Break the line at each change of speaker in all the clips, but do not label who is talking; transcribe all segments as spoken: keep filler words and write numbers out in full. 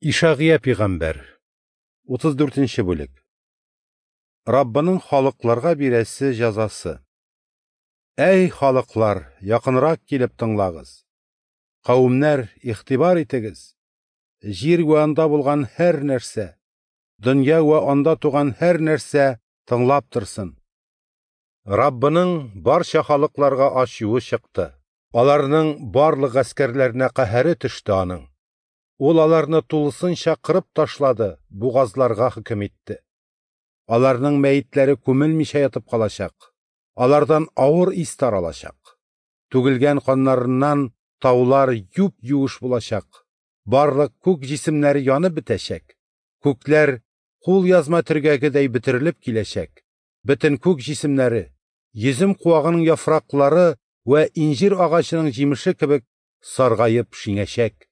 Ишагыя пәйгамбәр, утыз дүртенче бүлек. Раббының халыкларга бирәсе җәзасы. Әй, халыклар, якынрак килеп тыңлагыз. Кавемнәр, игътибар итегез. Җир вә анда булган һәр нәрсә, дөнья вә анда туган һәр нәрсә тыңлап торсын. Раббының барча халыкларга ачуы чыкты. Аларның барлык гаскәрләренә каһәре төште аның. Ул аларны тулысынча кырып ташлады, бугазларга хөкем итте. Аларның мәетләре күмелмичә ятып калачак. Алардан авыр ис таралачак. Түгелгән каннарыннан таулар юп-юеш булачак. Барлык күк җисемнәре янып бетәчәк. Күкләр кул язма төргәгедәй бөтерелеп киләчәк. Бөтен күк җисемнәре, йөзем куагының яфраклары вә инҗир агачының җимеше кебек саргаеп шиңәчәк.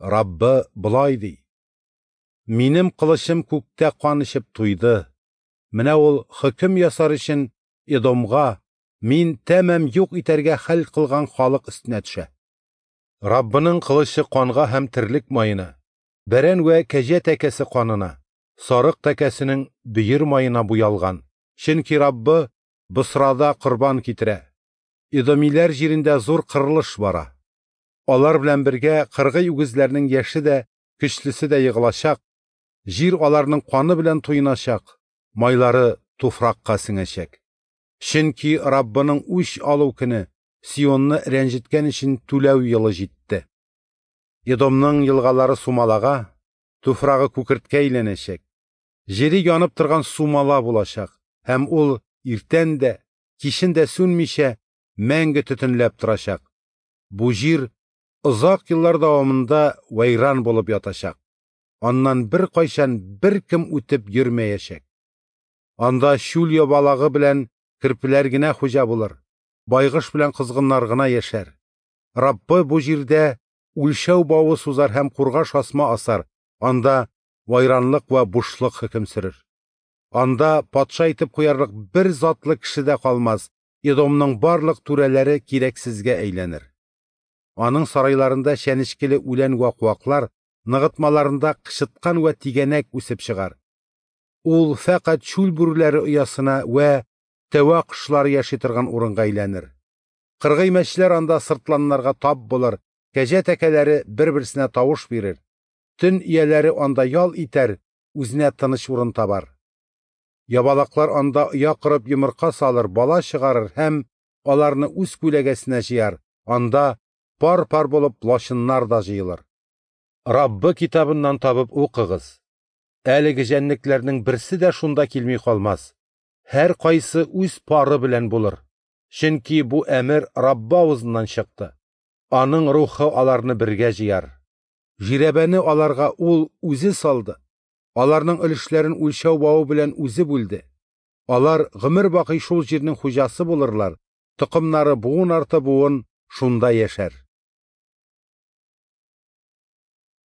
Раббы болай ди: Минем кылычым күктә кан эчеп туйды. Менә ул хөкем ясар өчен Эдомга, мин тәмам юк итәргә хәл кылган халык өстенә төшә. Раббының кылычы канга һәм терлек маена, бәрән вә кәҗә тәкәсе канына, сарык тәкәсенең бөер маена буялган. Чөнки Раббы Босрада корбан китерә. Эдомиләр җирендә зур кырылыш бара. Алар белән бергә кыргый үгезләрнең яше дә, көчлесе дә егылачак, җир аларның каны белән туеначак, майлары туфракка сеңәчәк. Чөнки Раббының үч алу көне Сионны рәнҗеткән өчен түләү елы җитте. Эдомның елгалары сумалага, туфрагы күкерткә әйләнәчәк. Җире янып торган сумала булачак, һәм ул иртән дә, кичен дә сүнмичә мәңге төтенләп торачак. Бу җир озак еллар дәвамында вәйран булып ятачак. Аннан бер кайчан бер кем үтеп йөрмәячәк. Анда чүл ябалагы белән керпеләр генә хуҗа булыр, байгыш белән кызгыннар гына яшәр. Раббы бу җирдә үлчәү бавы сузар һәм кургаш асма асар, анда вайранлык вә бушлык хөкем сөрер. Анда патша итеп куярлык бер затлы кеше дә калмас, Эдомның барлык түрәләре кирәксезгә әйләнер. Аның сарайларында чәнечкеле үлән вә куаклар, ныгытмаларында кычыткан вә тигәнәк үсеп чыгар. Ул фәкать чүл бүреләре оясына вә тәвә кошлары яши торган урынга әйләнер. Кыргый мәчеләр анда сыртланнарга тап булыр, кәҗә тәкәләре бер-берсенә тавыш бирер. Төн ияләре анда ял итәр, үзенә тыныч урын табар. Ябалаклар анда оя корып йомырка салыр, бала чыгарыр һәм аларны үз күләгәсенә җыяр. Анда пар-пар булып лачыннар да җыелыр. Раббы китабыннан табып укыгыз. Әлеге җәнлекләрнең берсе дә шунда килми калмас. Һәр кайсы үз пары белән булыр. Чөнки бу әмер Раббы авызыннан чыкты. Аның рухы аларны бергә җыяр. Жирәбәне аларга ул үзе салды. Аларның өлешләрен үлчәү бавы белән үзе бүлде. Алар гомер бакый шул җирнең хуҗасы булырлар. Токымнары буын арты буын шунда яшәр.